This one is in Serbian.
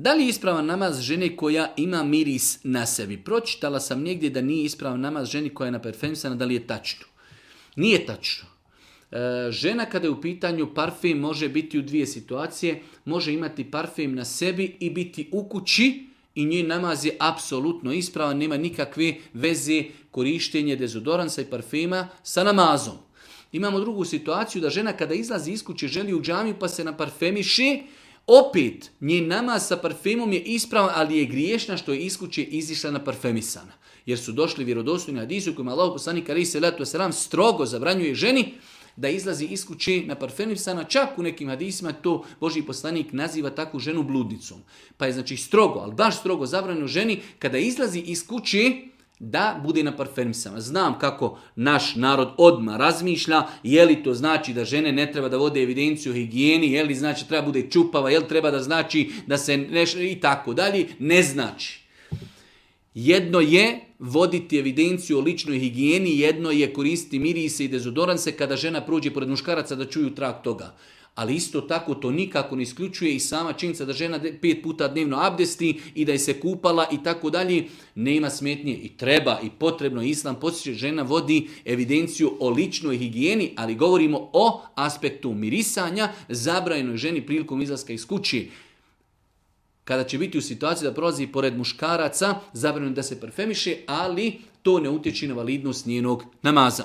Da li je ispravan namaz žene koja ima miris na sebi? Pročitala sam negdje da nije ispravan namaz ženi koja je naparfemisana, da li je tačno? Nije tačno. Žena kada je u pitanju parfem može biti u dvije situacije. Može imati parfem na sebi i biti u kući i njen namaz je apsolutno ispravan. Nema nikakve veze korištenje dezodoransa i parfema sa namazom. Imamo drugu situaciju da žena kada izlazi iz kuće želi u džamiju pa se naparfemiše. Opet, njen namaz sa parfemom je ispravan, ali je griješna što je iz kuće izišla naparfemisana. Jer su došli vjerodostojni hadisi u kojima Allahu poslanik alejhi selatu vesselam strogo zabranjuje ženi da izlazi iz kuće naparfemisana. Čak u nekim hadisima to Božji poslanik naziva takvu ženu bludnicom. Pa je znači strogo, ali baš strogo zabranjeno ženi kada izlazi iz kuće da bude naparfemisana. Znam kako naš narod odmah razmišlja, je li to znači da žene ne treba da vode evidenciju o higijeni, je li znači treba bude čupava, je li treba da znači da se i tako dalje. Ne znači. Jedno je voditi evidenciju o ličnoj higijeni, jedno je koristiti mirise i dezodoranse kada žena prođe pored muškaraca da čuju trag toga. Ali isto tako to nikako ne isključuje i sama činjenica da žena 5 puta dnevno abdesti i da je se kupala i tako dalje, nema smetnje i treba i potrebno. Islam podsjeća žena vodi evidenciju o ličnoj higijeni, ali govorimo o aspektu mirisanja, zabranjenoj ženi prilikom izlaska iz kuće. Kada će biti u situaciji da prolazi pored muškaraca, zabranjeno da se parfemiše, ali to ne utječe na validnost njenog namaza.